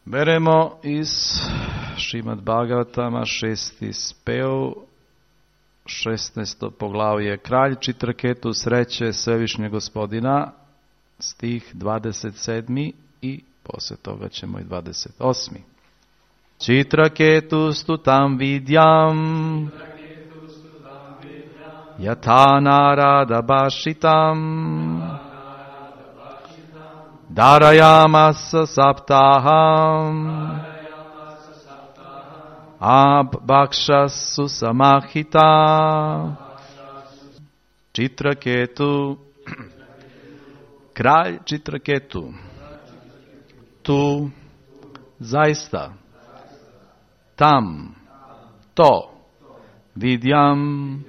Beremo iz Šrimad Bhagavatama 6. spev, 16. poglavlje. Kralj Čitraketu sreće Svevišnjeg Gospodina, stih 27. i poslije toga ćemo i 28. Čitraketu stutam vidyam yatha narada bhashitam darayamasa saptaham abhakshasu samahita. Čitraketu, kralj Čitraketu, tu, zaista, tam, to, vidyam,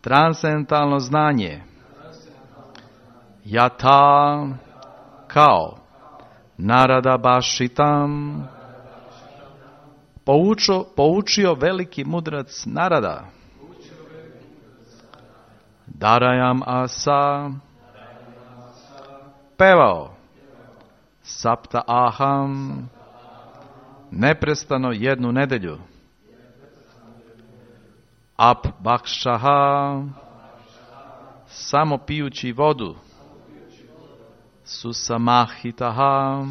transcendentalno znanje, yatha, kao, narada bhashitam, poučio veliki mudrac Narada, darayam asa, pevao, sapta aham, neprestano jednu nedelju, abhakshaha, samo pijući vodu, susamahitaha,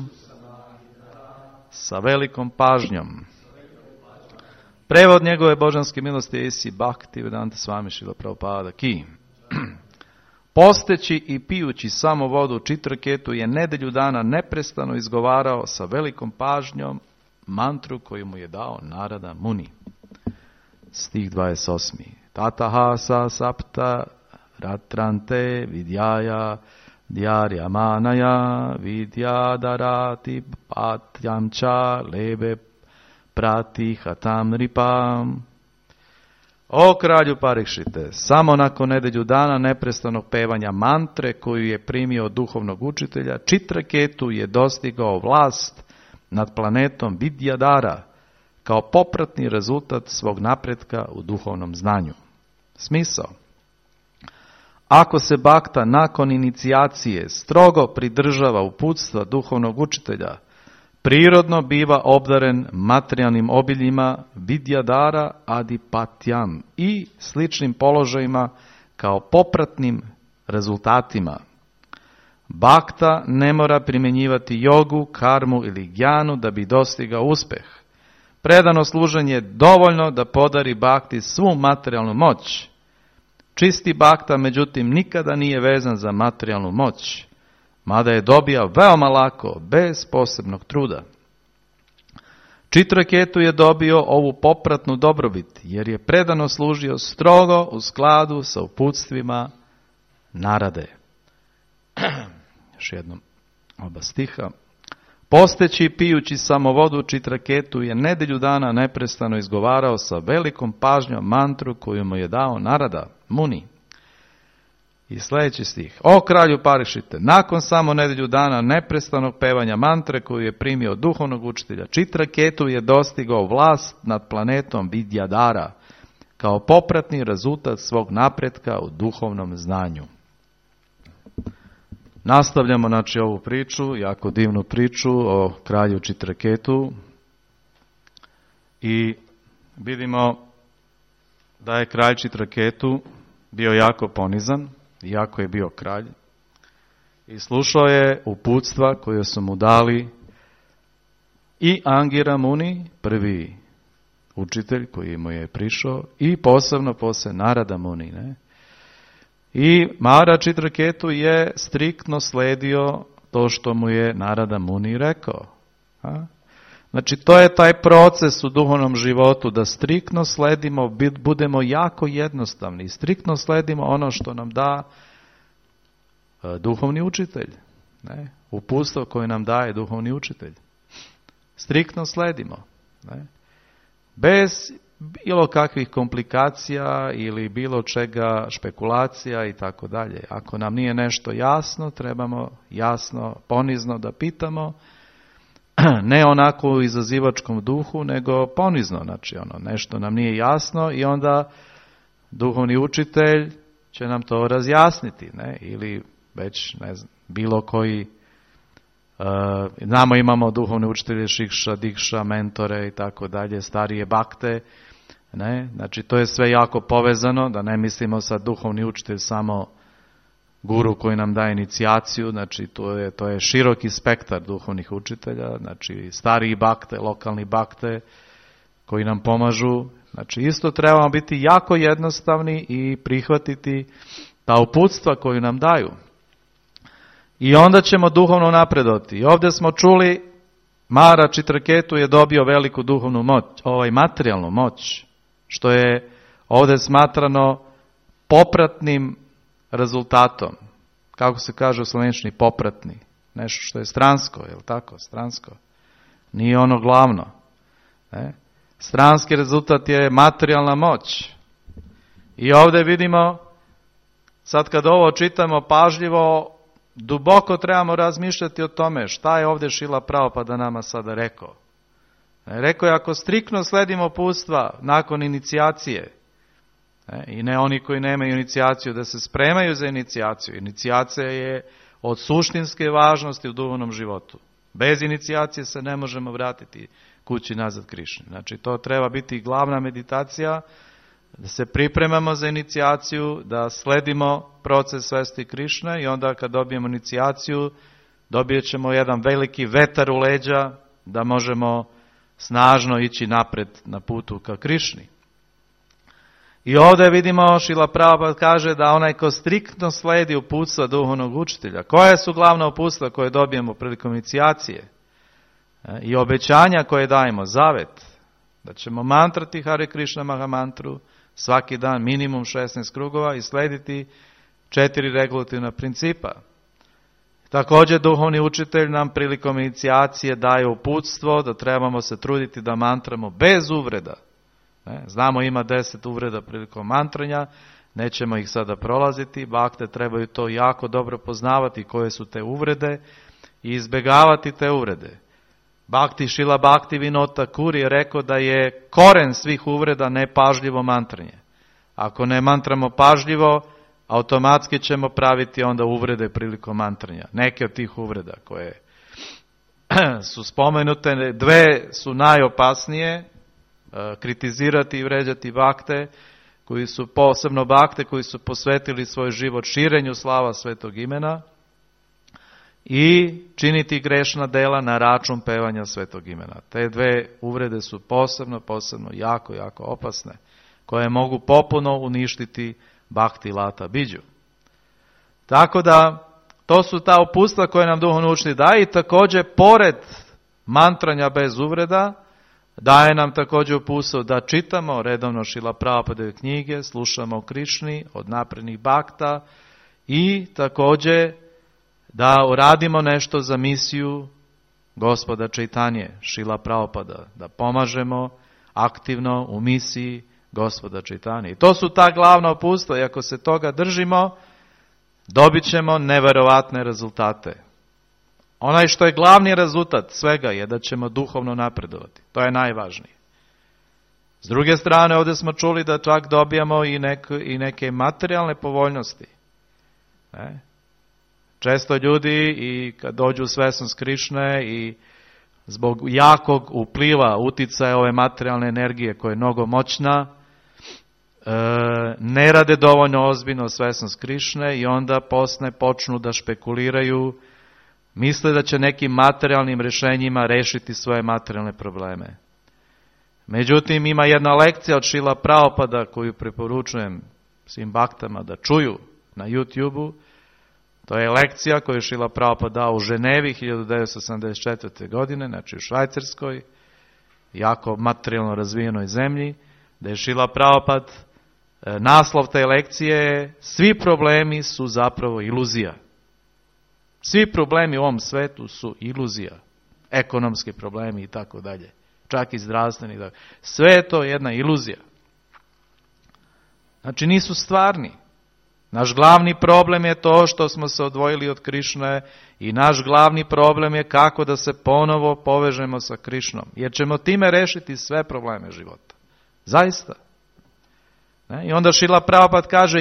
sa velikom pažnjom. Prevod njegove božanske milosti je Isi Bhaktivedanta Swami Srila Prabhupada ki. Posteći i pijući samo vodu Čitraketu je nedelju dana neprestano izgovarao sa velikom pažnjom mantru koju mu je dao Narada Muni. Stih 28. Tataha sa sapta ratrante vidjaja djaryamanaya vidyadarati patyamcha lebe pratihatam ripam. O kralju Parikšite, samo nakon nedelju dana neprestanog pevanja mantre koju je primio od duhovnog učitelja, Čitraketu je dostigao vlast nad planetom Vidyadara kao popratni rezultat svog napretka u duhovnom znanju. Smisao. Ako se bakta nakon inicijacije strogo pridržava uputstva duhovnog učitelja, prirodno biva obdaren materijalnim obiljima Vidyadara adipatyam i sličnim položajima kao popratnim rezultatima. Bakta ne mora primjenjivati jogu, karmu ili gjanu da bi dostigao uspeh. Predano služenje je dovoljno da podari bakti svu materijalnu moć. Čisti bakta, međutim, nikada nije vezan za materijalnu moć, mada je dobija veoma lako, bez posebnog truda. Čitraketu je dobio ovu popratnu dobrobit, jer je predano služio strogo u skladu sa uputstvima Narade. Još jednom oba stiha. Posteći i pijući samo vodu Čitraketu je nedelju dana neprestano izgovarao sa velikom pažnjom mantru koju mu je dao Narada Muni. I sljedeći stih. O kralju Parikšite, nakon samo nedelju dana neprestanog pevanja mantre koju je primio od duhovnog učitelja, Čitraketu je dostigao vlast nad planetom Vidyadara kao popratni rezultat svog napretka u duhovnom znanju. Nastavljamo ovu priču, jako divnu priču o kralju Čitraketu i vidimo da je kralj Čitraketu bio jako ponizan, iako je bio kralj, i slušao je uputstva koje su mu dali i Angira Muni, prvi učitelj koji mu je prišao, i posebno poslije Narada Muni. Ne? I Maharaja Čitraketu je striktno sledio to što mu je Narada Muni rekao. Znači, to je taj proces u duhovnom životu, da striktno sledimo, budemo jako jednostavni, striktno sledimo ono što nam da duhovni učitelj. Ne? Uputstvo koje nam daje duhovni učitelj. Striktno sledimo. Ne? Bez bilo kakvih komplikacija ili bilo čega, špekulacija i tako dalje. Ako nam nije nešto jasno, trebamo jasno, ponizno da pitamo, ne onako u izazivačkom duhu, nego ponizno, znači nešto nam nije jasno i onda duhovni učitelj će nam to razjasniti, ne? Ili već bilo koji Znamo, imamo duhovne učitelje, šikša, dikša, mentore i tako dalje, starije bakte. Ne? Znači, to je sve jako povezano, da ne mislimo sad duhovni učitelj samo guru koji nam daje inicijaciju, znači to je široki spektar duhovnih učitelja, znači stariji bakte, lokalni bakte koji nam pomažu. Znači, isto trebamo biti jako jednostavni i prihvatiti ta uputstva koju nam daju. I onda ćemo duhovno napredovati. I ovdje smo čuli, Mara Čitraketu je dobio veliku duhovnu moć, materijalnu moć, što je ovdje smatrano popratnim rezultatom. Kako se kaže u slovenčini, popratni. Nešto što je stransko, je li tako? Stransko. Nije ono glavno. Ne? Stranski rezultat je materijalna moć. I ovdje vidimo, sad kad ovo čitamo pažljivo, duboko trebamo razmišljati o tome šta je ovdje Šrila Prabhupada nama sada rekao. Rekao je, ako striktno sledimo uputstva nakon inicijacije, i ne oni koji nemaju inicijaciju, da se spremaju za inicijaciju. Inicijacija je od suštinske važnosti u duhovnom životu. Bez inicijacije se ne možemo vratiti kući nazad Krišni. Znači, to treba biti glavna meditacija, da se pripremamo za inicijaciju, da sledimo proces svesti Krišne i onda kad dobijemo inicijaciju, dobijet ćemo jedan veliki vetar u leđa da možemo snažno ići napred na putu ka Krišni. I ovdje vidimo, Šrila Prabhupada kaže da onaj ko striktno sledi uputstva duhovnog učitelja, koje su glavna uputstva koje dobijemo prilikom inicijacije i obećanja koje dajemo, zavet, da ćemo mantrati Hare Krishna Mahamantru svaki dan minimum 16 krugova i slediti 4 regulativna principa. Također duhovni učitelj nam prilikom inicijacije daje uputstvo da trebamo se truditi da mantramo bez uvreda. Znamo, ima 10 uvreda prilikom mantranja, nećemo ih sada prolaziti, bakte trebaju to jako dobro poznavati koje su te uvrede i izbjegavati te uvrede. Bhakti Šrila Bhaktivinoda Thakur je rekao da je koren svih uvreda nepažljivo mantranje. Ako ne mantramo pažljivo, automatski ćemo praviti onda uvrede prilikom mantranja. Neke od tih uvreda koje su spomenute, dve su najopasnije, kritizirati i vređati bakte, koji su posebno bakte, koji su posvetili svoj život širenju slava svetog imena, i činiti grešna dela na račun pevanja svetog imena. Te dve uvrede su posebno jako opasne, koje mogu popuno uništiti Bhakti Lata Bidžu. Tako da, to su ta uputstva koje nam duhovni učitelj daje i također, pored mantranja bez uvreda, daje nam također uputstvo da čitamo redovno Šrila Prabhupadove knjige, slušamo o Krišni od naprednih bakta i također da uradimo nešto za misiju Gospoda Čaitanje, Šrila Prabhupada, da pomažemo aktivno u misiji Gospoda Čaitanje. I to su ta glavna uputstva i ako se toga držimo, dobit ćemo neverovatne rezultate. Onaj što je glavni rezultat svega je da ćemo duhovno napredovati. To je najvažnije. S druge strane, ovdje smo čuli da čak dobijamo i neke materijalne povoljnosti. Često ljudi i kad dođu u svesnost Krišne i zbog jakog upliva, uticaja ove materijalne energije koja je mnogo moćna, ne rade dovoljno ozbiljno svesnost Krišne i onda počnu da špekuliraju, misle da će nekim materijalnim rješenjima rešiti svoje materijalne probleme. Međutim, ima jedna lekcija od Šrila Prabhupada koju preporučujem svim baktama da čuju na YouTube-u. To je lekcija koju je Šrila Prabhupada dao u Ženevi 1984. godine, znači u Švajcarskoj, jako materijalno razvijenoj zemlji, da je Šrila Prabhupada, naslov te lekcije je svi problemi su zapravo iluzija. Svi problemi u ovom svetu su iluzija. Ekonomski problemi i tako dalje. Čak i zdravstveni. Sve je to jedna iluzija. Znači nisu stvarni. Naš glavni problem je to što smo se odvojili od Krišne i naš glavni problem je kako da se ponovo povežemo sa Krišnom. Jer ćemo time rešiti sve probleme života. Zaista. I onda Šrila Prabhupada kaže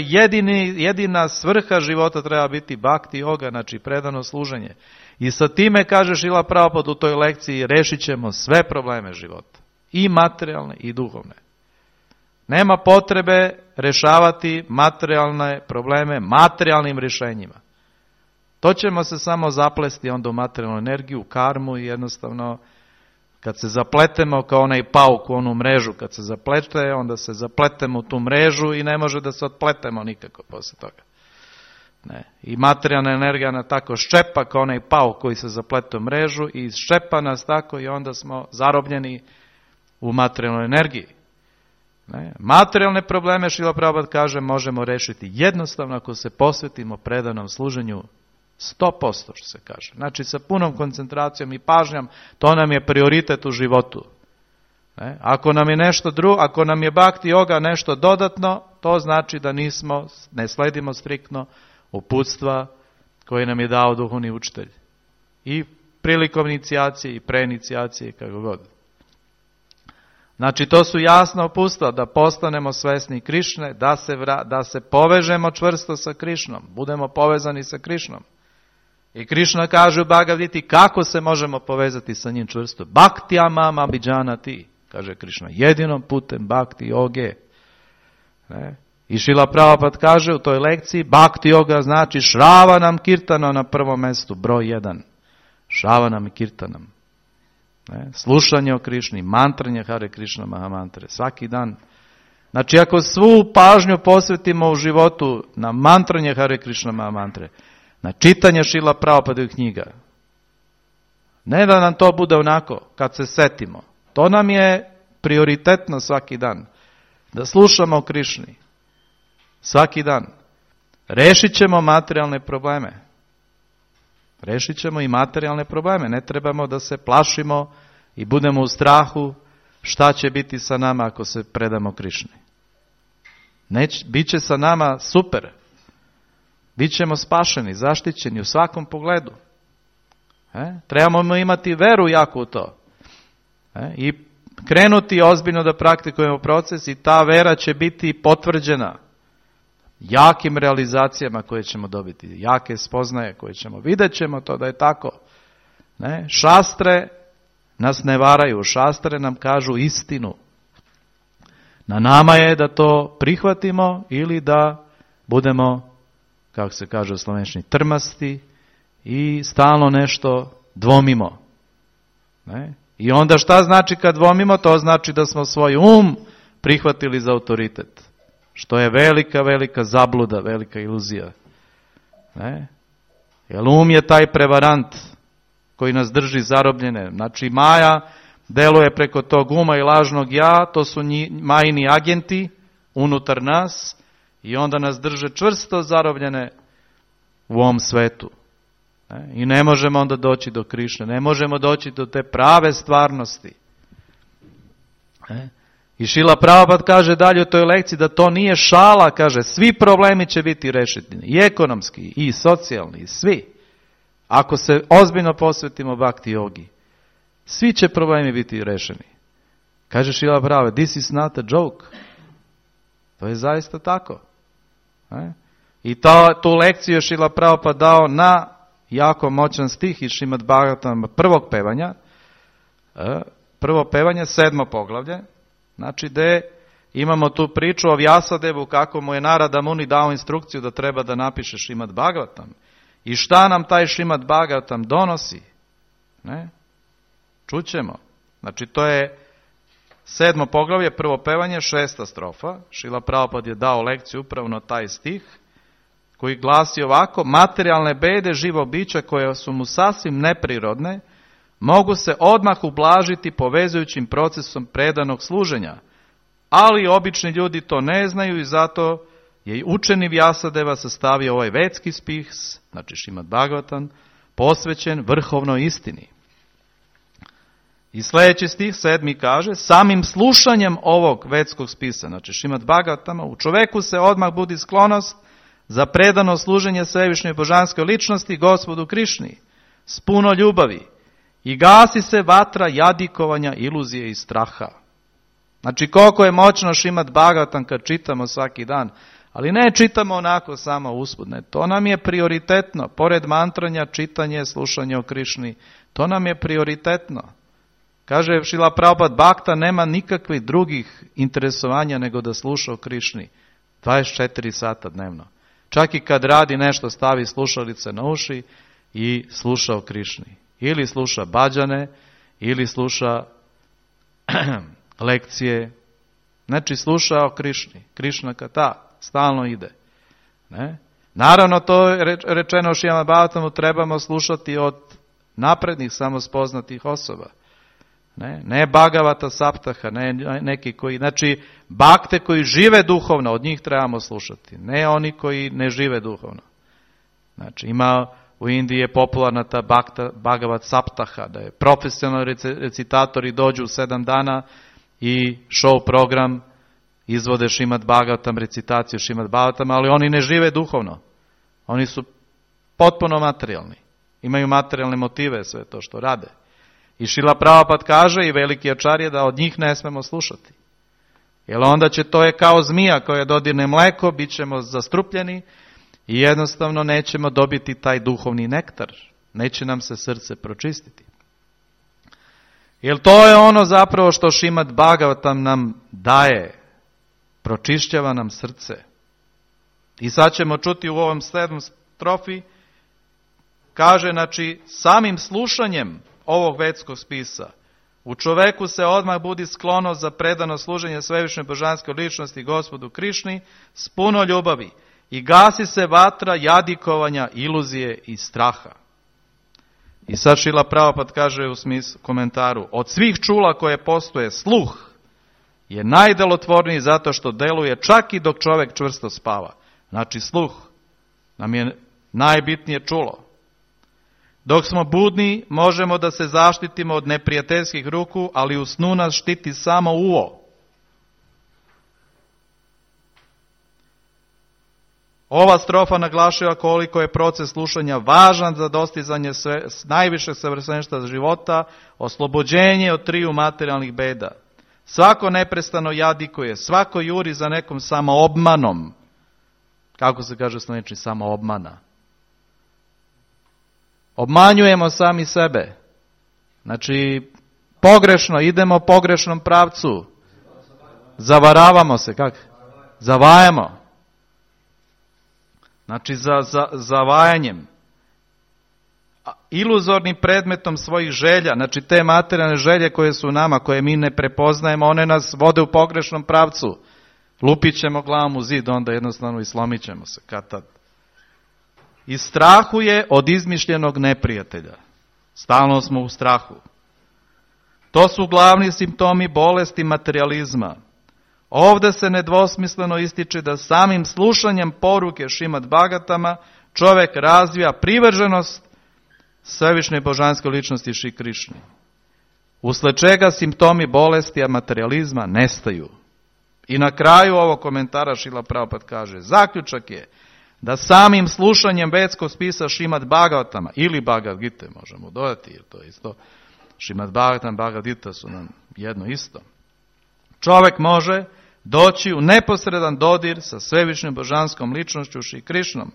jedina svrha života treba biti bhakti yoga, znači predano služenje. I sa time, kaže Šrila Prabhupada u toj lekciji, rešit ćemo sve probleme života. I materijalne i duhovne. Nema potrebe rešavati materijalne probleme materijalnim rješenjima. To ćemo se samo zaplesti onda u materijalnu energiju, u karmu i jednostavno kad se zapletemo kao onaj pauk u onu mrežu, kad se zaplete, onda se zapletemo u tu mrežu i ne može da se otpletemo nikako posle toga. Ne. I materijalna energija nas tako ščepa kao onaj pauk koji se zaplete u mrežu i ščepa nas tako i onda smo zarobljeni u materijalnoj energiji. Ne. Materijalne probleme, Šrila Prabhupada kaže, možemo rešiti jednostavno ako se posvetimo predanom služenju 100%, što se kaže. Znači sa punom koncentracijom i pažnjom, to nam je prioritet u životu. Ne. Ako nam je nešto drugo, ako nam je bhakti yoga nešto dodatno, to znači da ne sledimo striktno uputstva koje nam je dao duhovni učitelj. I prilikom inicijacije i preinicijacije, kako god. Znači to su jasna uputstva da postanemo svesni Krišne, da se povežemo čvrsto sa Krišnom, budemo povezani sa Krišnom. I Krišna kaže u Bhagavad Giti kako se možemo povezati sa njim čvrsto. Bhaktya mam abhijanati, kaže Krišna, jedinom putem bhakti yoge. Ne? I Šrila Prabhupada kaže u toj lekciji, bhakti yoga znači Šravanam kirtana na prvom mjestu, broj 1. Šravanam i kirtanam. Ne? Slušanje o Krišni, mantranje Hare Krišna Mahamantre, svaki dan. Znači ako svu pažnju posvetimo u životu na mantranje Hare Krišna Mahamantre, na čitanje Šrila Prabhupadovih knjiga, ne da nam to bude onako kad se setimo, to nam je prioritetno svaki dan, da slušamo o Krišni, svaki dan. Rešit ćemo materijalne probleme. Rešit ćemo i materijalne probleme. Ne trebamo da se plašimo i budemo u strahu šta će biti sa nama ako se predamo Krišni. Biće sa nama super. Bićemo spašeni, zaštićeni u svakom pogledu. Trebamo imati veru jako u to. I krenuti ozbiljno da praktikujemo proces i ta vera će biti potvrđena jakim realizacijama koje ćemo dobiti, jake spoznaje koje ćemo. Vidjet ćemo to da je tako. Ne? Šastre nas ne varaju, šastre nam kažu istinu. Na nama je da to prihvatimo ili da budemo, kako se kaže u slovenščini, trmasti i stalno nešto dvomimo. Ne? I onda šta znači kad dvomimo? To znači da smo svoj prihvatili za autoritet. Što je velika, velika zabluda, velika iluzija. Ne? Jer je taj prevarant koji nas drži zarobljene. Znači Maja deluje preko tog uma i lažnog ja, to su majini agenti unutar nas i onda nas drže čvrsto zarobljene u ovom svetu. Ne? I ne možemo onda doći do Krišne, ne možemo doći do te prave stvarnosti. Ne? I Šrila Prabhupada kaže dalje u toj lekciji da to nije šala, kaže, svi problemi će biti rešeni, i ekonomski, i socijalni, i svi. Ako se ozbiljno posvetimo bhakti yogi, svi će problemi biti rešeni. Kaže Šrila Prabhupada, this is not a joke. To je zaista tako. I tu lekciju je Šrila Prabhupada dao na jako moćan stih iz Šrimad Bhagavatama prvog pevanja. Prvo pevanje, 7. poglavlje. Znači gde imamo tu priču o Vjasadevu kako mu je Narada Muni dao instrukciju da treba da napiše Šrimad Bhagavatam. I šta nam taj Šrimad Bhagavatam donosi? Ne? Čućemo. Znači to je 7. poglavlje, prvo pevanje, 6. strofa. Šrila Prabhupada je dao lekciju upravo na taj stih koji glasi ovako: materijalne bede živo bića koje su mu sasvim neprirodne mogu se odmah ublažiti povezujućim procesom predanog služenja, ali obični ljudi to ne znaju i zato je učeni Vjasadeva sastavio ovaj vedski spis, znači Šrimad Bhagavatam, posvećen vrhovnoj istini. I sljedeći stih 7. kaže, samim slušanjem ovog vedskog spisa, znači Šrimad Bhagavatama, u čoveku se odmah budi sklonost za predano služenje svevišnjoj božanskoj ličnosti, Gospodu Krišni, s puno ljubavi, i gasi se vatra jadikovanja, iluzije i straha. Znači koliko je moćno Šrimad Bhagavatam kad čitamo svaki dan, Ali ne čitamo onako samo usput, ne. To nam je prioritetno. Pored mantranja, čitanje, slušanje o Krišni, to nam je prioritetno. Kaže Šrila Prabhupada, Bhakta nema nikakvih drugih interesovanja nego da sluša o Krišni. 24 sata dnevno. Čak i kad radi nešto, stavi slušalice na uši i sluša o Krišni. Ili sluša bhađane, ili sluša lekcije. Znači sluša o Krišni. Krišna kata stalno ide. Ne? Naravno, to je rečeno Šrimad Bhagavatamu, trebamo slušati od naprednih, samospoznatih osoba. Ne Bhagavata Saptaha, ne neki koji, znači bakte koji žive duhovno, od njih trebamo slušati, ne oni koji ne žive duhovno. Znači ima u Indiji je popularna ta Bhagavat Saptaha, da je profesionalni recitatori dođu u 7 dana i show program izvode Šrimad Bhagavatam, recitaciju Šrimad Bhagavatam, ali oni ne žive duhovno. Oni su potpuno materijalni. Imaju materijalne motive sve to što rade. I Šrila Prabhupada kaže i veliki ačarje da od njih ne smemo slušati. Jer onda to je kao zmija koja dodirne mleko, bit ćemo zastrupljeni i jednostavno nećemo dobiti taj duhovni nektar. Neće nam se srce pročistiti. Jer to je ono zapravo što Šrimad Bhagavatam nam daje. Pročišćava nam srce. I sad ćemo čuti u ovom 7. strofi, kaže, znači, samim slušanjem ovog vedskog spisa, u čoveku se odmah budi sklonost za predano služenje svevišnje božanske ličnosti Gospodu Krišni s puno ljubavi i gasi se vatra jadikovanja, iluzije i straha. I sad Šrila Prabhupada kaže u komentaru, od svih čula koje postoje, sluh je najdelotvorniji zato što deluje čak i dok čovjek čvrsto spava. Znači sluh nam je najbitnije čulo. Dok smo budni, možemo da se zaštitimo od neprijateljskih ruku, ali u snu nas štiti samo uvo. Ova strofa naglašava koliko je proces slušanja važan za dostizanje najvišeg savršenstva života, oslobođenje od 3 materijalnih beda. Svako neprestano jadikuje, svako juri za nekom samoobmanom. Kako se kaže slovenski, samoobmana. Obmanjujemo sami sebe. Znači, pogrešno, idemo pogrešnom pravcu. Zavaravamo se, kako? Zavajamo. Znači, zavajanjem. Iluzornim predmetom svojih želja, znači te materijalne želje koje su u nama, koje mi ne prepoznajemo, one nas vode u pogrešnom pravcu. Lupit ćemo glavom u zid, onda jednostavno i slomit ćemo se kad tad. I strahuje od izmišljenog neprijatelja. Stalno smo u strahu. To su glavni simptomi bolesti materijalizma. Ovdje se nedvosmisleno ističe da samim slušanjem poruke Šrimad Bhagavatama čovjek razvija privrženost svevišnje božanske ličnosti Šri Krišni. Usled čega simptomi bolesti materijalizma nestaju. I na kraju ovog komentara Šrila Prabhupada kaže, zaključak je da samim slušanjem vedskog spisa Šrimad Bhagavatama ili Bhagavad Gite, možemo dodati, jer to je isto, Šrimad Bhagavatam, Bhagavad Gita su nam jedno isto. Čovjek može doći u neposredan dodir sa svevišnjom božanskom ličnošću Šri Krišnom,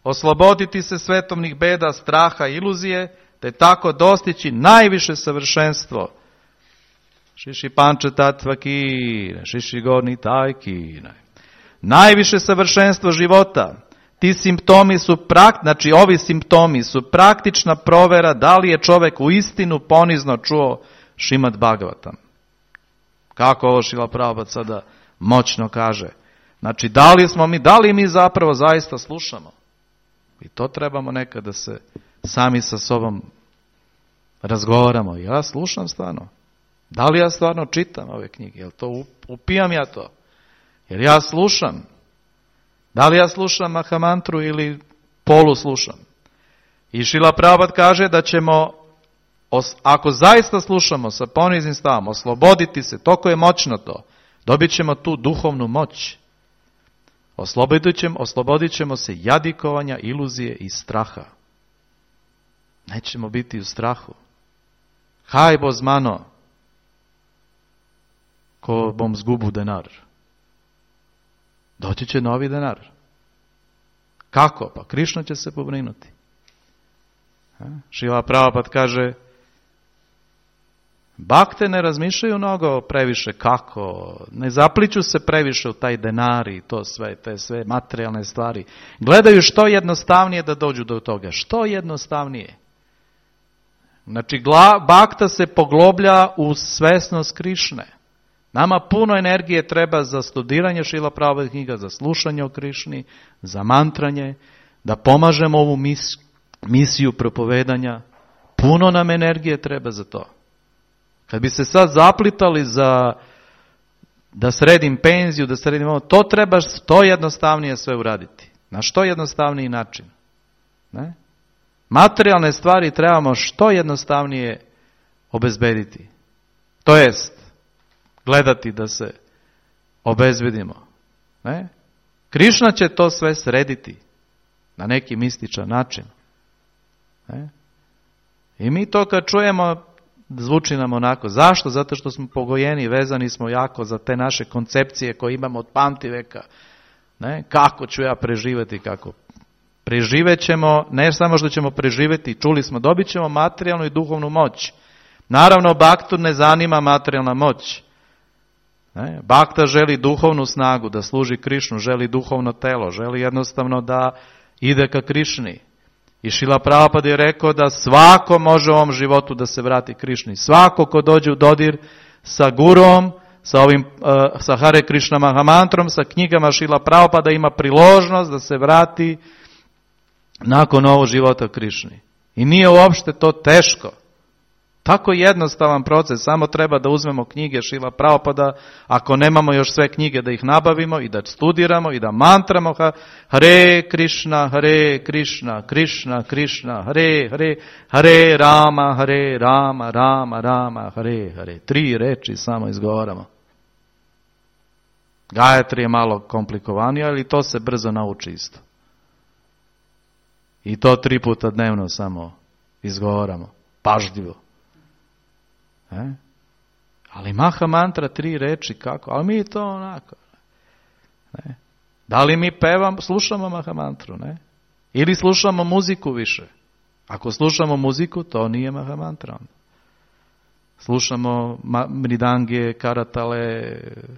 osloboditi se svetovnih beda, straha i iluzije, te tako dostići najviše savršenstvo. Šiši panče tatva kine, šiši gorni taj kine. Najviše savršenstvo života. Ti simptomi su znači ovi simptomi su praktična provera da li je čovjek u istinu ponizno čuo Šrimad Bhagavatam. Kako ovo Šrila Prabhupada sada moćno kaže. Znači, da li mi zapravo zaista slušamo? I to trebamo nekad da se sami sa sobom razgovaramo. Ja slušam stvarno. Da li ja stvarno čitam ove knjige? Jel to upijam ja to? Jer ja slušam. Da li ja slušam Mahamantru ili polu slušam? I Šrila Prabhupada kaže da ćemo, ako zaista slušamo sa poniznim stavom, osloboditi se, toliko je moćno to, dobit ćemo tu duhovnu moć. Oslobodit ćemo se jadikovanja, iluzije i straha. Nećemo biti u strahu. Haj bo zmano, ko bom zgubu denar. doći će novi denar. Kako? Pa Krišna će se pobrinuti. Šrila Prabhupada kaže, bakte ne razmišljaju mnogo previše kako, ne zapliću se previše u taj denar i to sve, te sve materijalne stvari. Gledaju što jednostavnije da dođu do toga. Što jednostavnije. Znači, bakta se pogloblja u svesnost Krišne. Nama puno energije treba za studiranje Šrila Prabhupada knjiga, za slušanje o Krišni, za mantranje, da pomažemo ovu misiju propovedanja. Puno nam energije treba za to. Kad bi se sad zaplitali za da sredim penziju, da sredim ovo, to treba što jednostavnije sve uraditi. Na što jednostavniji način. Ne? Materijalne stvari trebamo što jednostavnije obezbediti. To jest, gledati da se obezbedimo. Ne? Krišna će to sve srediti na neki mističan način. Ne? I mi to kad čujemo, zvuči nam onako. Zašto? Zato što smo pogojeni, vezani smo jako za te naše koncepcije koje imamo od pamtiveka. Ne? Kako ću ja preživjeti, kako? Preživet ćemo, ne samo što ćemo preživjeti, čuli smo, dobit ćemo materijalnu i duhovnu moć. Naravno, baktu ne zanima materijalna moć. Ne? Bakta želi duhovnu snagu, da služi Krišnu, želi duhovno telo, želi jednostavno da ide ka Krišni. I Šrila Prabhupada je rekao da svako može u ovom životu da se vrati Krišni. Svako ko dođe u dodir sa gurom, sa Hare Krishna Mahamantrom, sa knjigama Šrila Prabhupada ima priložnost da se vrati nakon ovog života Krišni. I nije uopšte to teško. Tako jednostavan proces, samo treba da uzmemo knjige Šrila Prabhupada, ako nemamo još sve knjige da ih nabavimo i da studiramo i da mantramo Hare Krishna, Hare Krishna, Krishna Krishna, Hare Hare, Hare Rama, Hare Rama, Rama Rama, Hare Hare. 3 reči samo izgovaramo. Gayatri je malo komplikovanije, ali to se brzo nauči isto. I to 3 puta dnevno samo izgovaramo, pažljivo. Ali Maha Mantra 3 reči, kako? Ali mi to onako. Ne? Da li mi slušamo Maha Mantru? Ne? Ili slušamo muziku više? Ako slušamo muziku, to nije Maha Mantra. Slušamo mridange, karatale,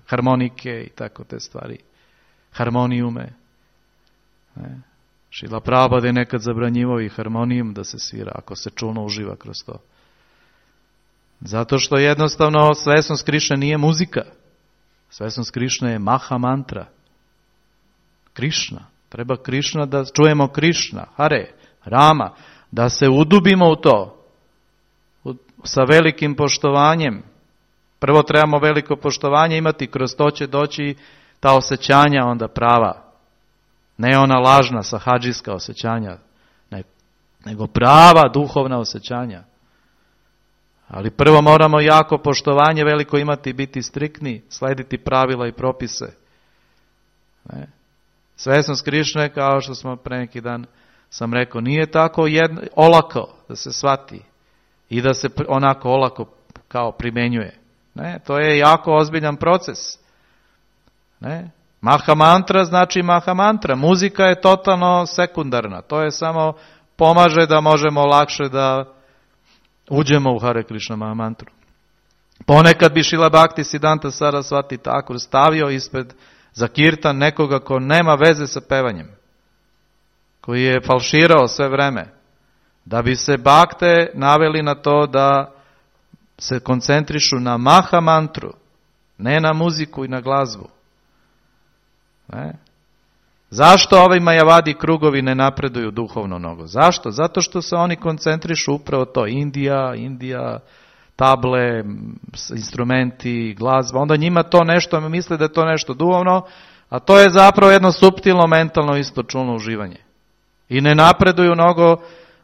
harmonike i tako te stvari. Harmonijume. Ne? Šrila Prabhupada je nekad zabranjivao i harmonijum da se svira, ako se čulno uživa kroz to. Zato što jednostavno svesnost Krišne nije muzika. Svesnost Krišne je Maha Mantra. Krišna. Treba Krišna da čujemo Krišna, Hare, Rama, da se udubimo u to. Sa velikim poštovanjem. Prvo trebamo veliko poštovanje imati, kroz to će doći ta osjećanja onda prava. Ne ona lažna sahadžijska osjećanja, nego prava duhovna osjećanja. Ali prvo moramo jako poštovanje veliko imati, biti striktni, slediti pravila i propise. Ne? Svesnost Krišne, kao što smo pre neki dan sam rekao, nije tako olako da se shvati i da se onako olako kao primenjuje. Ne? To je jako ozbiljan proces. Ne? Maha Mantra znači Maha Mantra. Muzika je totalno sekundarna. To je samo pomaže da možemo lakše da uđemo u Hare Krishna Mahamantru. Ponekad bi Šrila Bhakti Siddhanta Sarasvati Thakur stavio ispred za kirtan nekoga ko nema veze sa pevanjem, koji je falširao sve vreme, da bi se bakte naveli na to da se koncentrišu na Maha Mantru, ne na muziku i na glazbu. Ne? Zašto ovi majavadi krugovi ne napreduju duhovno mnogo? Zašto? Zato što se oni koncentrišu upravo to. Indija, table, instrumenti, glazba. Onda njima to nešto, misle da je to nešto duhovno, a to je zapravo jedno suptilno, mentalno, isto čulno uživanje. I ne napreduju mnogo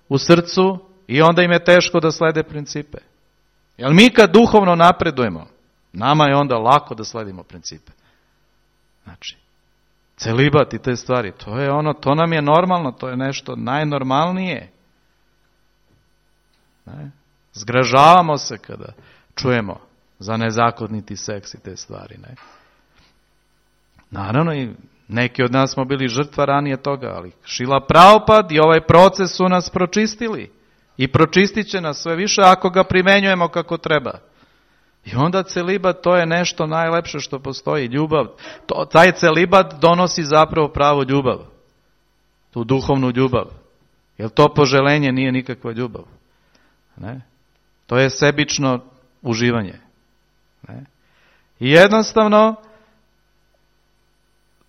u srcu i onda im je teško da slede principe. Jer mi kad duhovno napredujemo, nama je onda lako da sledimo principe. Znači, celibat i te stvari, to nam je normalno, to je nešto najnormalnije. Ne? Zgražavamo se kada čujemo za nezakoniti seks i te stvari. Ne? Naravno, i neki od nas smo bili žrtva ranije toga, ali Šrila Prabhupada i ovaj proces su nas pročistili. I pročistit će nas sve više ako ga primenjujemo kako treba. I onda celibat, to je nešto najlepše što postoji, ljubav. Taj celibat donosi zapravo pravu ljubav. Tu duhovnu ljubav. Jer to poželenje nije nikakva ljubav. Ne? To je sebično uživanje. Ne? I jednostavno,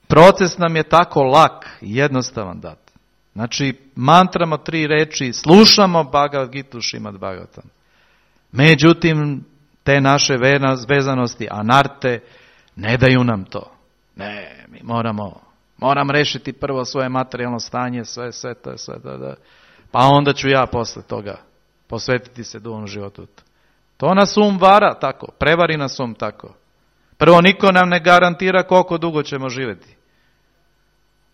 proces nam je tako lak i jednostavan dat. Znači, mantramo 3 reči, slušamo Bhagavad Gitu Šrimad Bhagavatam. Međutim, te naše vezanosti, anarte, ne daju nam to. Ne, mi moram rešiti prvo svoje materijalno stanje, sve, pa onda ću ja posle toga posvetiti se duhovnom životu. To nas vara tako, prevari nas tako. Prvo, niko nam ne garantira koliko dugo ćemo živjeti.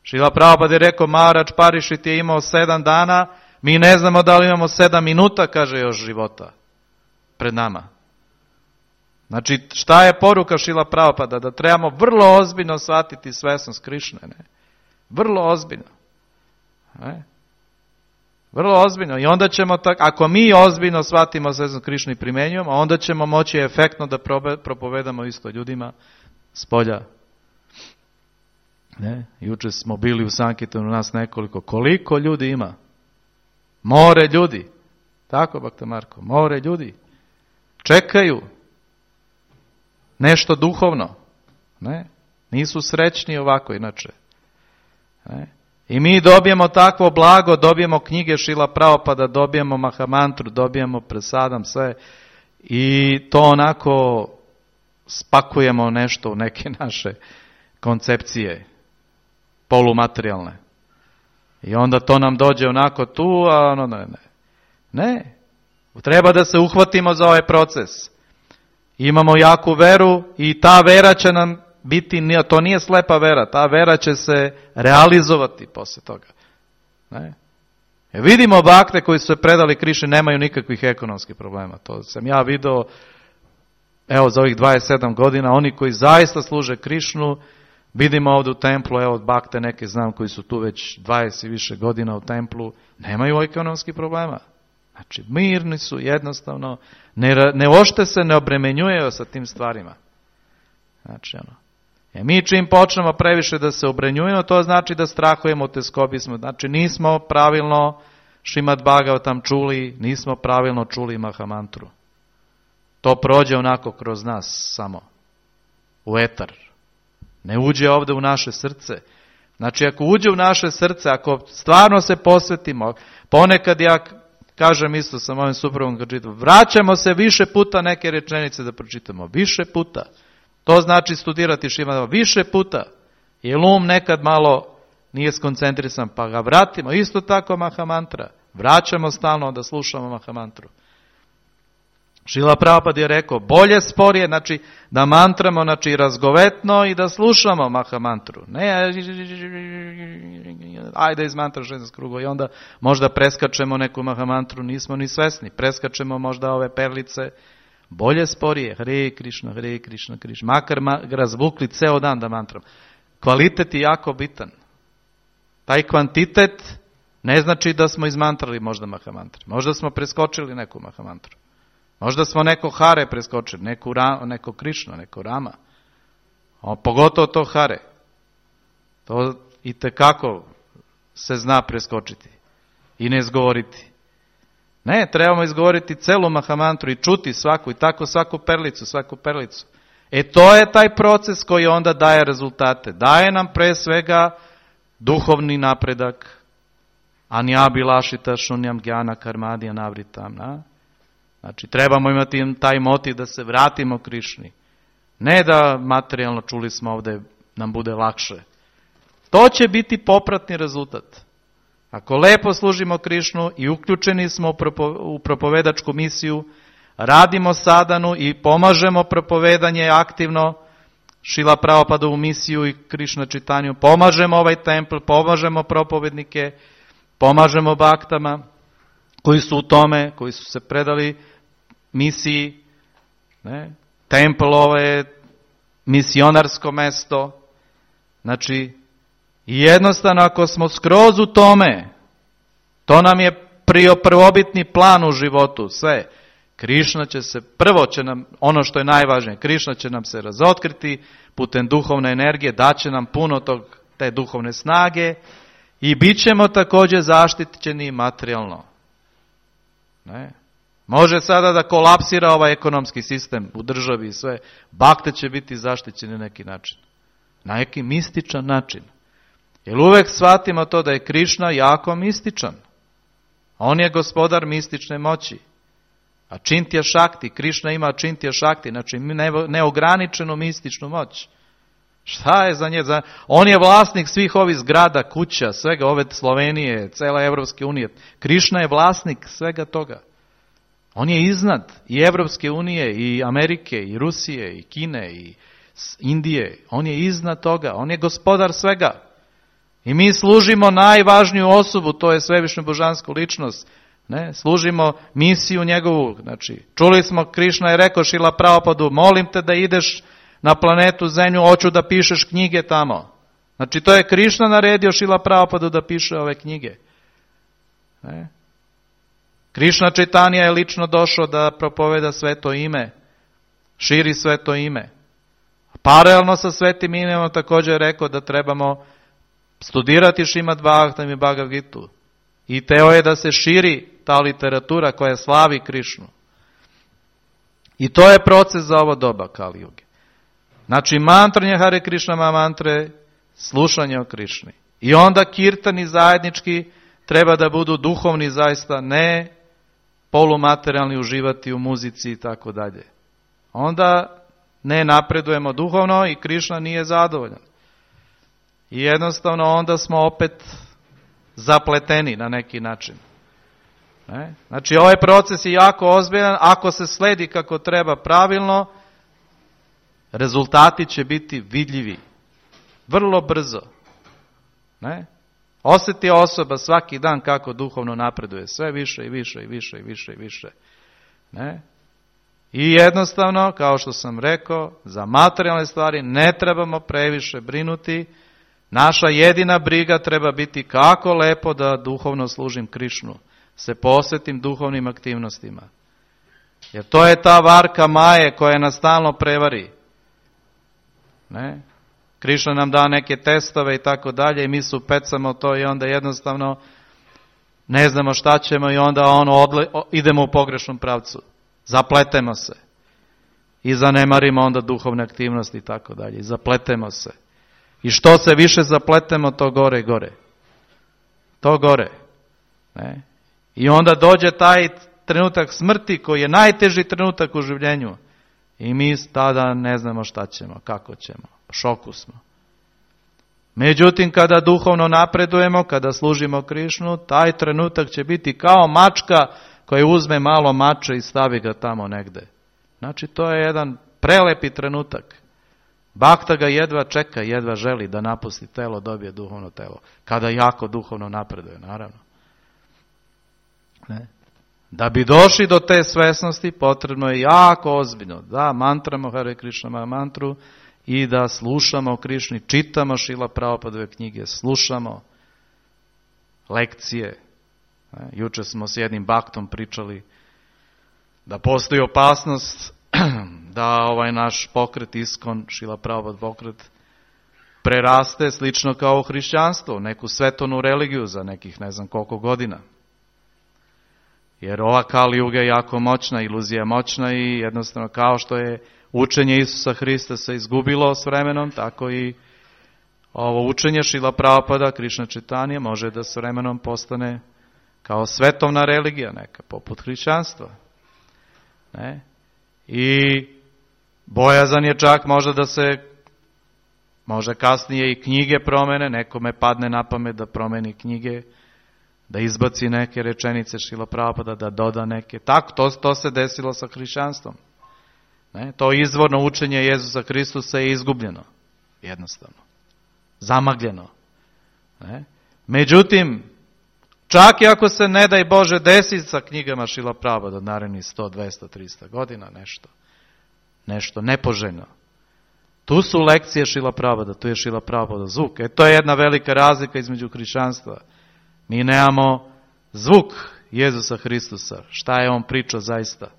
Šrila Prabhupada je rekao, Maharaj Parikšit je imao 7 dana, mi ne znamo da li imamo 7 minuta, kaže, još života pred nama. Znači, šta je poruka Šrila Prabhupada? Da trebamo vrlo ozbiljno shvatiti svesnost Krišne. Ne? Vrlo ozbiljno. Ne? Vrlo ozbiljno. I onda ćemo, ako mi ozbiljno shvatimo svesnost Krišne i primenjujemo, onda ćemo moći efektno da propovedamo isto ljudima s polja. Ne? Juče smo bili u Sankirtanu, nas nekoliko. Koliko ljudi ima? More ljudi. Tako, Bhakta Marko, more ljudi. Čekaju nešto duhovno. Ne? Nisu srećni ovako inače. Ne? I mi dobijemo takvo blago, dobijemo knjige Šrila Prabhupada, dobijemo Mahamantru, dobijemo Prasadam, sve. I to onako spakujemo nešto u neke naše koncepcije polumaterijalne. I onda to nam dođe onako tu, a ono ne. Ne. Treba da se uhvatimo za ovaj proces. Imamo jaku veru i ta vera će nam biti, to nije slepa vera, ta vera će se realizovati posle toga. Ne? Vidimo bakte koji su se predali Krišni, nemaju nikakvih ekonomskih problema. To sam ja video, evo za ovih 27 godina, oni koji zaista služe Krišnu, vidimo ovdje u templu, evo bakte neke znam koji su tu već 20 i više godina u templu, nemaju ekonomskih problema. Znači, mirni su jednostavno, ne ošte se, ne obremenjuju sa tim stvarima. Znači, mi čim počnemo previše da se obremenjujemo, to znači da strahujemo, teskobi smo. Znači, nismo pravilno Šrimad Bhagavatam čuli, nismo pravilno čuli Mahamantru. To prođe onako kroz nas samo, u etar. Ne uđe ovdje u naše srce. Znači, ako uđe u naše srce, ako stvarno se posvetimo, ponekad ja kažem isto sa mojim suprugom kad čitam, vraćamo se više puta neke rečenice da pročitamo. Više puta. To znači studirati Šrimad više puta. Jer nekad malo nije skoncentrisan, pa ga vratimo. Isto tako Mahamantra. Vraćamo stalno da slušamo Mahamantru. Šrila Prabhupada je rekao, bolje sporije, znači da mantramo, znači razgovetno i da slušamo Mahamantru. Ne, ajde izmantra 16 krugova i onda možda preskačemo neku Mahamantru, nismo ni svesni. Preskačemo možda ove perlice. Bolje sporije, Hare Krišna, Hare Krišna, Krišna. Makar razvukli ceo dan da mantram. Kvalitet je jako bitan. Taj kvantitet ne znači da smo izmantrali možda Mahamantru. Možda smo preskočili neku Mahamantru. Možda smo neko Hare preskočili, neko Krišna, neko Rama. Pogotovo to Hare. To itekako se zna preskočiti i ne izgovoriti. Ne, trebamo izgovoriti celu Mahamantru i čuti svaku i tako svaku perlicu. To je taj proces koji onda daje rezultate. Daje nam pre svega duhovni napredak. Anjabilašita šunjam gjana karmadija navritam. Znači, trebamo imati taj motiv da se vratimo Krišni. Ne da materijalno, čuli smo ovdje, nam bude lakše. To će biti popratni rezultat. Ako lepo služimo Krišnu i uključeni smo u propovedačku misiju, radimo sadanu i pomažemo propovedanje aktivno, Šrila Prabhupadovu misiju i Krišna čitanju, pomažemo ovaj templ, pomažemo propovednike, pomažemo baktama koji su u tome, koji su se predali misiji. Templ ovo je misionarsko mesto. Znači, jednostavno ako smo skroz u tome, to nam je prvobitni plan u životu, sve. Krišna će se, prvo će nam, ono što je najvažnije, Krišna će nam se razotkriti putem duhovne energije, daće nam puno te duhovne snage i bit ćemo također zaštićeni materijalno. Ne? Može sada da kolapsira ovaj ekonomski sistem u državi i sve, bakte će biti zaštićeni na neki način. Na neki mističan način. Jer uvek shvatimo to da je Krišna jako mističan. On je gospodar mistične moći. A Čintja Šakti, Krišna ima Čintja Šakti, znači neograničenu mističnu moć. Šta je za nje? On je vlasnik svih ovih zgrada, kuća, svega ove Slovenije, cele Evropske unije. Krišna je vlasnik svega toga. On je iznad i Evropske unije, i Amerike, i Rusije, i Kine, i Indije. On je iznad toga. On je gospodar svega. I mi služimo najvažniju osobu, to je svevišnju božansku ličnost. Ne? Služimo misiju njegovu. Znači, čuli smo, Krišna je rekao Šrila Prabhupadu, molim te da ideš na planetu Zemlju, hoću da pišeš knjige tamo. Znači, to je Krišna naredio Šrila Prabhupadu da piše ove knjige. Ne? Krišna Čaitanija je lično došao da propoveda sveto ime, širi sveto ime. Paralelno sa svetim imenom također je rekao da trebamo studirati Šrimad Bhagavatam i Bhagavad Gitu. I teo je da se širi ta literatura koja slavi Krišnu. I to je proces za ovo doba Kali Juge. Znači mantranje Hare Krišna mantre, slušanje o Krišni. I onda kirtani zajednički treba da budu duhovni zaista, ne polumaterijalni, uživati u muzici i tako dalje. Onda ne napredujemo duhovno i Krišna nije zadovoljan. I jednostavno onda smo opet zapleteni na neki način. Ne? Znači ovaj proces je jako ozbiljan, ako se sledi kako treba pravilno, rezultati će biti vidljivi. Vrlo brzo. Ne? Osjeti osoba svaki dan kako duhovno napreduje, sve više i više i više i više i više. Ne? I jednostavno, kao što sam rekao, za materijalne stvari ne trebamo previše brinuti. Naša jedina briga treba biti kako lepo da duhovno služim Krišnu, se posvetim duhovnim aktivnostima. Jer to je ta varka maje koja nas stalno prevari. Ne? Krišna nam da neke testove i tako dalje i mi se upecamo to i onda jednostavno ne znamo šta ćemo i onda idemo u pogrešnom pravcu. Zapletemo se. I zanemarimo onda duhovne aktivnosti i tako dalje. I zapletemo se. I što se više zapletemo, to gore i gore. To gore. Ne? I onda dođe taj trenutak smrti koji je najteži trenutak u življenju. I mi tada ne znamo šta ćemo, kako ćemo. U šoku smo. Međutim, kada duhovno napredujemo, kada služimo Krišnu, taj trenutak će biti kao mačka koja uzme malo mača i stavi ga tamo negde. Znači, to je jedan prelepi trenutak. Bhakta ga jedva čeka, jedva želi da napusti telo, dobije duhovno telo. Kada jako duhovno napreduje, naravno. Ne? Da bi došli do te svesnosti, potrebno je jako ozbiljno da mantramo Hare Krišna mantru i da slušamo o Krišni, čitamo Šrila Prabhupadove knjige, slušamo lekcije. Juče smo s jednim baktom pričali da postoji opasnost da ovaj naš pokret Iskon, Šrila Prabhupada pokret, preraste slično kao hrišćanstvo, neku svetovnu religiju za nekih ne znam koliko godina. Jer ova Kali Juga je jako moćna, iluzija je moćna i jednostavno kao što je učenje Isusa Hrista se izgubilo s vremenom, tako i ovo učenje Šrila Prabhupada, Krišna Čaitanije, može da s vremenom postane kao svetovna religija neka, poput hrišćanstva. Ne? I bojazan je čak možda da se, može kasnije i knjige promene, nekome padne na pamet da promeni knjige, da izbaci neke rečenice Šrila Prabhupada, da doda neke. Tako, to se desilo sa hrišćanstvom. Ne? To izvorno učenje Jezusa Hristusa je izgubljeno. Jednostavno. Zamagljeno. Ne? Međutim, čak i ako se ne daj Bože desi sa knjigama Šrila Prabhupada narednih 100, 200, 300 godina, nešto nepoželjno. Tu su lekcije Šrila Prabhupada, tu je Šrila Prabhupada zvuk. To je jedna velika razlika između hrišćanstva. Mi nemamo zvuk Jezusa Hristusa, šta je on pričao zaista.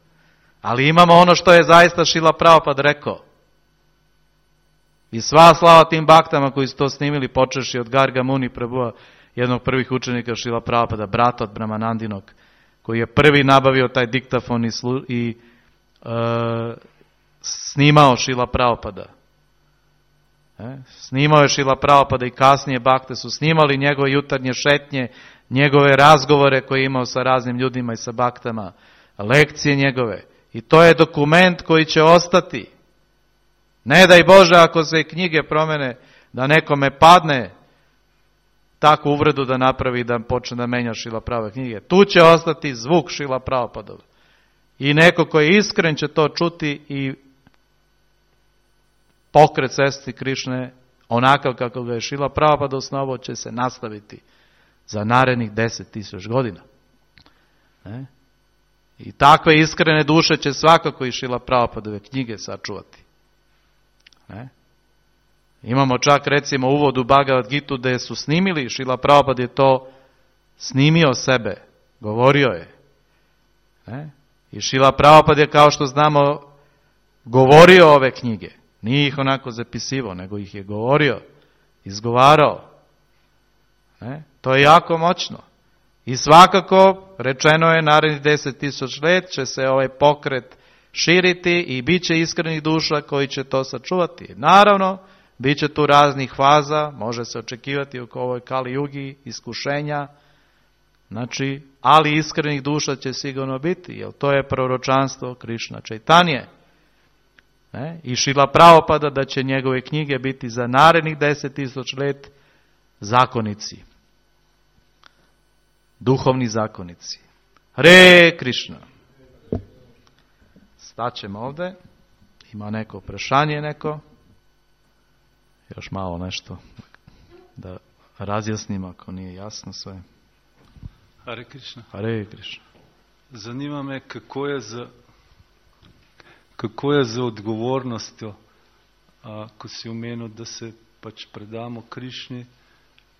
Ali imamo ono što je zaista Šrila Prabhupada rekao. I sva slava tim baktama koji su to snimili, počeši od Garga Muni Prabhuva, jednog prvih učenika Šrila Prabhupada, brata od Brahmanandinog, koji je prvi nabavio taj diktafon i snimao Šrila Prabhupada. Snimao je Šrila Prabhupada i kasnije bakte su snimali njegove jutarnje šetnje, njegove razgovore koje je imao sa raznim ljudima i sa baktama, lekcije njegove. I to je dokument koji će ostati. Ne daj Bože ako se knjige promene, da nekome padne takvu uvredu da napravi da počne da menja Šrila Prabhupada knjige. Tu će ostati zvuk Šrila Prabhupada. I neko koji je iskren će to čuti i pokret Svesti Krišne, onakav kako ga je Šrila Prabhupada osnovao, će se nastaviti za narednih 10.000 godina. I takve iskrene duše će svakako i Šrila Prabhupadove knjige sačuvati. Imamo čak recimo uvod u Bhagavad Gitu gdje su snimili, Šrila Prabhupada je to snimio sebe, govorio je. I Šrila Prabhupada je, kao što znamo, govorio ove knjige. Nije ih onako zapisivao, nego ih je govorio, izgovarao. To je jako moćno. I svakako, rečeno je, narednih 10.000 let će se ovaj pokret širiti i bit će iskrenih duša koji će to sačuvati. Naravno, bit će tu raznih faza, može se očekivati oko ovoj Kali Jugi, iskušenja, ali iskrenih duša će sigurno biti, jer to je proročanstvo Krišna Čajtanje. I Šrila Prabhupada da će njegove knjige biti za narednih 10.000 let zakonici. Duhovni zakonici. Hare Krišna. Staćemo ovdje. Ima neko prešanje neko? Još malo nešto da razjasnim ako nije jasno sve. Hare Krišna. Hare Krišna. Zanima me kako je za odgovornostjo, ko si omenil, da se pač predamo Krišni,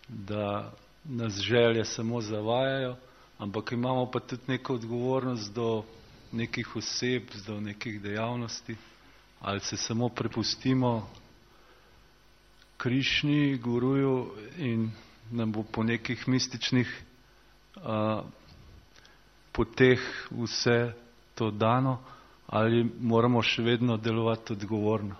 da nas želje samo zavajajo, ampak imamo pa tudi neko odgovornost do nekih oseb, do nekih dejavnosti, ali se samo prepustimo Krišni, Guruju in nam bo po nekih mističnih poteh vse to dano, ali moramo še vedno delovati odgovorno?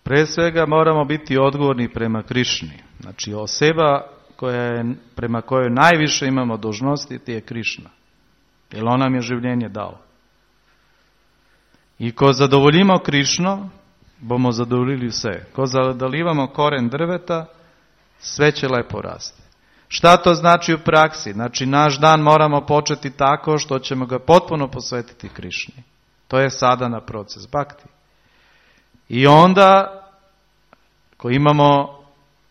Pre svega moramo biti odgovorni prema Krišni. Znači osoba prema kojoj najviše imamo dužnosti ti je Krišna. Jer on nam je življenje dao. I ko zadovoljimo Krišno, bomo zadovoljili vse. Ko zadovoljimo koren drveta, sve će lepo rasti. Šta to znači u praksi? Znači naš dan moramo početi tako što ćemo ga potpuno posvetiti Krišni. To je sadhana proces bhakti. I onda, ko imamo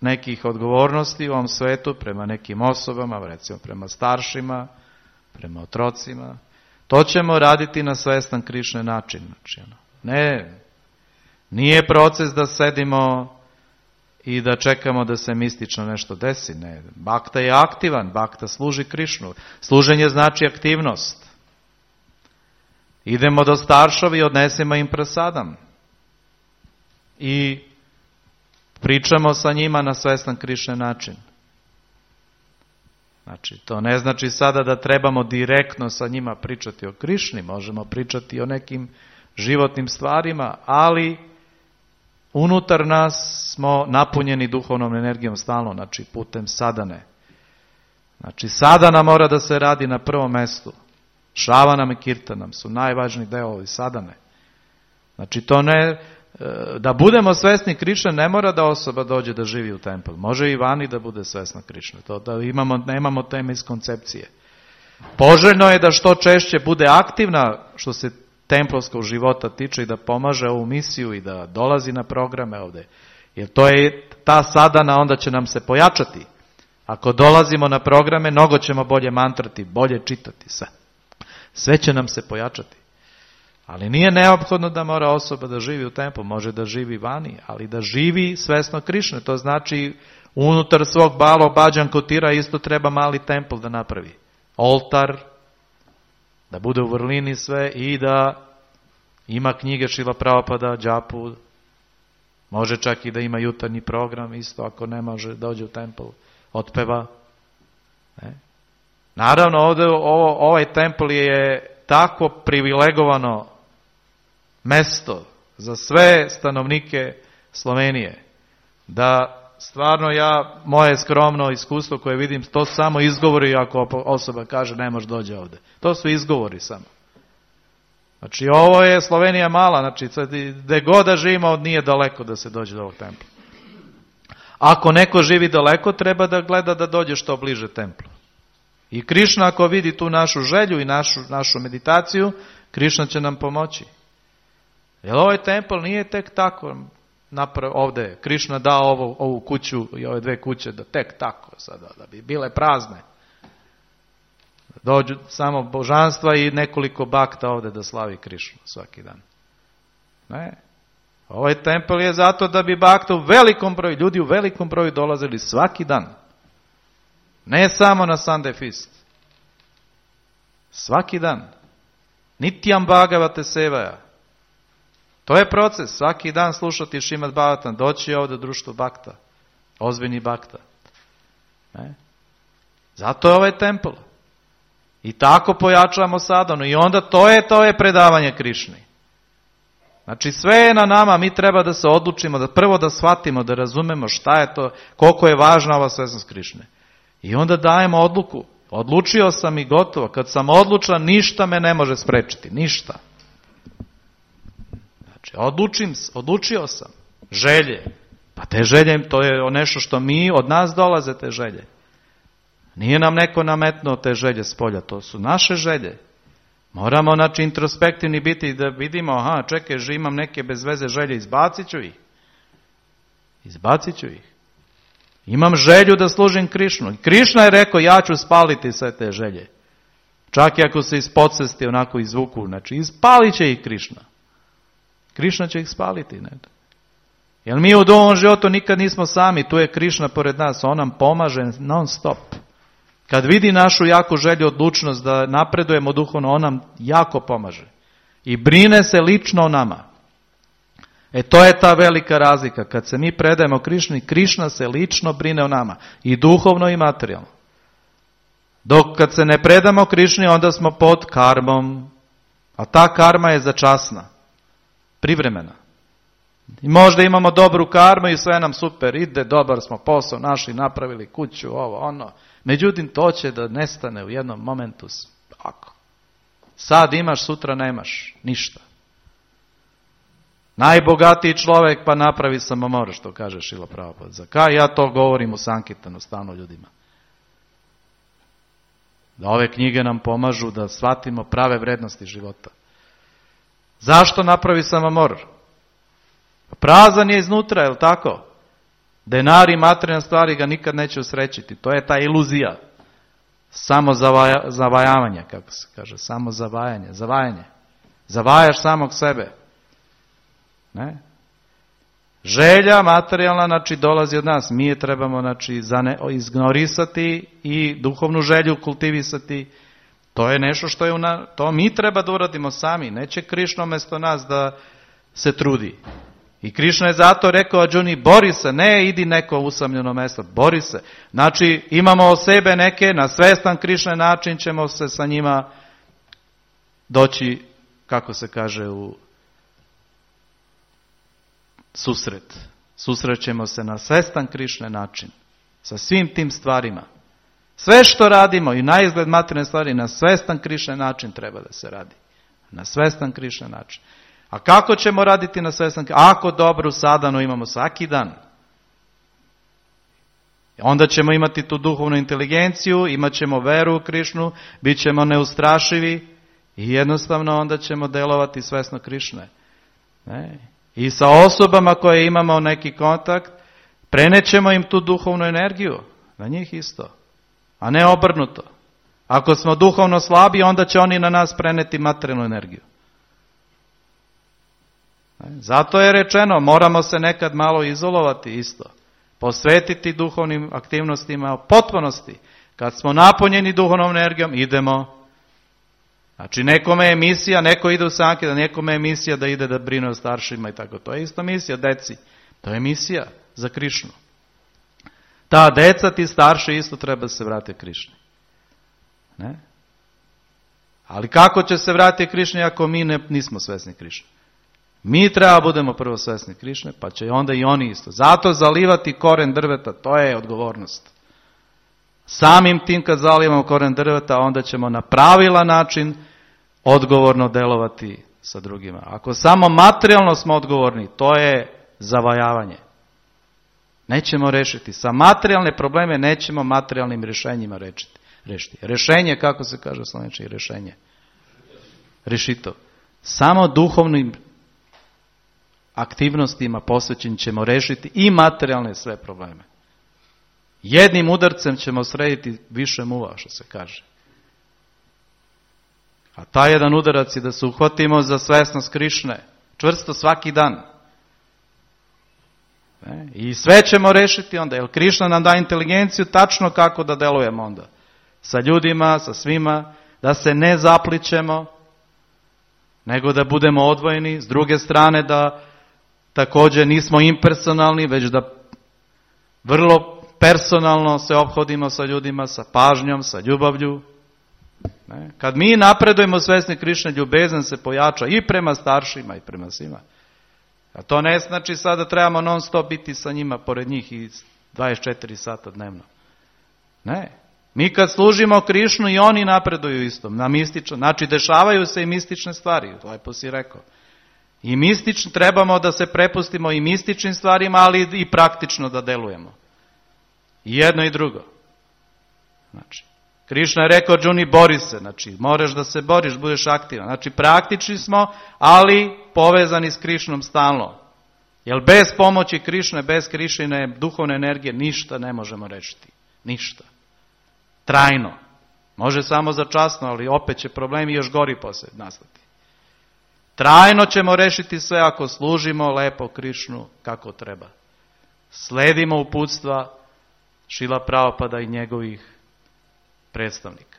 nekih odgovornosti u ovom svetu prema nekim osobama, recimo prema staršima, prema otrocima, to ćemo raditi na svestan Krišne način. Znači, nije proces da sedimo i da čekamo da se mistično nešto desi. Ne, bhakta je aktivan, bhakta služi Krišnu. Služenje znači aktivnost. Idemo do staršovi i odnesemo im prasadam. I pričamo sa njima na svestan Krišne način. Znači, to ne znači sada da trebamo direktno sa njima pričati o Krišni, možemo pričati o nekim životnim stvarima, ali unutar nas smo napunjeni duhovnom energijom stalno, znači putem sadane. Znači, sadana mora da se radi na prvom mestu. Šravanam i kirtanam su najvažniji delovi sadane. Znači, to ne... Da budemo svesni Krišne, ne mora da osoba dođe da živi u templu. Može i vani da bude svesna Krišne. To da nemamo teme iz koncepcije. Poželjno je da što češće bude aktivna što se templovskog života tiče i da pomaže ovu misiju i da dolazi na programe ovdje. Jer to je ta sadana, onda će nam se pojačati. Ako dolazimo na programe, mnogo ćemo bolje mantrati, bolje čitati sve. Sve će nam se pojačati. Ali nije neophodno da mora osoba da živi u templu, može da živi vani, ali da živi svesno Krišne. To znači unutar svog Balo Bhajan Kutira isto treba mali templ da napravi. Oltar, da bude u vrlini sve i da ima knjige Šrila Prabhupada, džapu, može čak i da ima jutarnji program, isto ako ne može dođe u templ, otpeva. Ne? Naravno, ovdje ovaj templ je tako privilegovano mesto za sve stanovnike Slovenije, da stvarno moje skromno iskustvo koje vidim, to samo izgovori ako osoba kaže ne može dođe ovdje. To su izgovori samo. Znači ovo je Slovenija mala, znači gdje god da živimo nije daleko da se dođe do ovog templa. Ako neko živi daleko, treba da gleda da dođe što bliže templu. I Krišna ako vidi tu našu želju i našu meditaciju, Krišna će nam pomoći. Jer ovaj templ nije tek tako ovdje. Krišna dao ovu kuću i ove 2 kuće da tek tako sada, da bi bile prazne. Dođu samo božanstva i nekoliko bakta ovdje da slavi Krišnu svaki dan. Ne. Ovaj templ je zato da bi bakta u velikom broju, ljudi u velikom broju dolazili svaki dan. Ne samo na Sunday Feast. Svaki dan. Nityam Bhagavate Sevaja. To je proces. Svaki dan slušati Šrimad Bhagavatam. Doći ovdje društvo bakta. Ozbiljni bakta. Ne? Zato je ovaj templ. I tako pojačavamo sadhanu. I onda to je predavanje Krišni. Znači sve je na nama. Mi treba da se odlučimo. Da prvo da shvatimo, da razumemo šta je to, koliko je važna ova svesnost Krišne. I onda dajemo odluku. Odlučio sam i gotovo. Kad sam odlučan, ništa me ne može sprečiti. Ništa. Znači, odlučio sam. Želje. Pa te želje, to je nešto što od nas dolaze te želje. Nije nam neko nametnuo te želje s polja. To su naše želje. Moramo, znači, introspektivni biti da vidimo, čekaj, imam neke bez veze želje, izbacit ću ih. Imam želju da služim Krišnu. Krišna je rekao, ja ću spaliti sve te želje. Čak i ako se iz podsvesti onako izvuku, znači ispalit će ih Krišna. Krišna će ih spaliti. Ne? Jer mi u ovom životu nikad nismo sami, tu je Krišna pored nas, on nam pomaže non stop. Kad vidi našu jaku želju, odlučnost da napredujemo duhovno, on nam jako pomaže. I brine se lično o nama. To je ta velika razlika. Kad se mi predajemo Krišni, Krišna se lično brine o nama. I duhovno i materijalno. Dok kad se ne predamo Krišni, onda smo pod karmom. A ta karma je začasna. Privremena. I možda imamo dobru karmu i sve nam super ide, dobar smo posao našli, napravili kuću, ovo, ono. Međutim, to će da nestane u jednom momentu. Ako. Sad imaš, sutra nemaš. Ništa. Najbogatiji čovjek pa napravi samomor, što kaže Šrila Prabhupada. Za kaj ja to govorim u Sankirtanu stalno ljudima? Da ove knjige nam pomažu da shvatimo prave vrednosti života. Zašto napravi samomor? Prazan je iznutra, je li tako? Denar i materijalne stvari ga nikad neće usrećiti. To je ta iluzija. Samo zavajavanje, kako se kaže. Samo zavajanje. Zavajaš samog sebe. Ne? Želja materijalna, znači, dolazi od nas. Mi je trebamo, znači, izignorisati i duhovnu želju kultivisati. To je nešto što je to mi treba da uradimo sami. Neće Krišna umjesto nas da se trudi. I Krišna je zato rekao Arjuni, bori se, ne idi neko usamljeno mjesto, bori se. Znači, imamo o sebe neke, na svestan Krišne način ćemo se sa njima doći, kako se kaže, u susret. Susrećemo se na svestan Krišne način. Sa svim tim stvarima. Sve što radimo i na izgled materijalne stvari na svestan Krišne način treba da se radi. Na svestan Krišne način. A kako ćemo raditi na svestan Krišne? Ako dobru sadhanu imamo svaki dan. Onda ćemo imati tu duhovnu inteligenciju, imat ćemo veru u Krišnu, bit ćemo neustrašivi i jednostavno onda ćemo delovati svesno Krišne. Ne? I sa osobama koje imamo neki kontakt, prenećemo im tu duhovnu energiju, na njih isto, a ne obrnuto. Ako smo duhovno slabi, onda će oni na nas preneti materijalnu energiju. Zato je rečeno, moramo se nekad malo izolovati isto. Posvetiti duhovnim aktivnostima u potpunosti. Kad smo napunjeni duhovnom energijom, idemo. Znači, nekome je misija, neko ide u sankirtan, nekome je misija da ide da brine o staršima i tako. To je isto misija, deci. To je misija za Krišnu. Ta deca, ti starši, isto treba se vratiti Krišni. Ne? Ali kako će se vratiti Krišni ako mi nismo svesni Krišne? Mi treba budemo prvo svesni Krišne, pa će onda i oni isto. Zato zalivati koren drveta, to je odgovornost. Samim tim kad zalivamo koren drveta, onda ćemo na pravilan način odgovorno delovati sa drugima. Ako samo materijalno smo odgovorni, to je zavajavanje. Nećemo rešiti. Sa materijalne probleme nećemo materijalnim rješenjima rešiti. Rešenje, kako se kaže u slovenčini, rešenje. Rešito. Samo duhovnim aktivnostima posvećen ćemo rešiti i materijalne sve probleme. Jednim udarcem ćemo srediti više muva, što se kaže. A taj jedan udarac je da se uhvatimo za svesnost Krišne, čvrsto svaki dan. I sve ćemo rešiti onda, jer Krišna nam da inteligenciju tačno kako da delujemo onda. Sa ljudima, sa svima, da se ne zaplićemo, nego da budemo odvojeni. S druge strane da također nismo impersonalni, već da vrlo personalno se ophodimo sa ljudima, sa pažnjom, sa ljubavlju. Kad mi napredujemo svesni Krišne, ljubezan se pojača i prema staršima i prema svima. A to ne znači sada trebamo non stop biti sa njima pored njih i 24 sata dnevno. Ne. Mi kad služimo Krišnu i oni napreduju isto. Na mistično. Znači dešavaju se i mistične stvari. Lepo si rekao. I mistično trebamo da se prepustimo i mističnim stvarima, ali i praktično da delujemo. I jedno i drugo. Znači, Krišna je rekao, Džuni, bori se. Znači, moraš da se boriš, budeš aktivan. Znači, praktični smo, ali povezani s Krišnom stalno. Jer bez pomoći Krišne, bez Krišine duhovne energije, ništa ne možemo rešiti. Ništa. Trajno. Može samo začasno, ali opet će problemi još gori poslije nastati. Trajno ćemo rešiti sve ako služimo lepo Krišnu kako treba. Sledimo uputstva Šrila Prabhupada i njegovih predstavnika.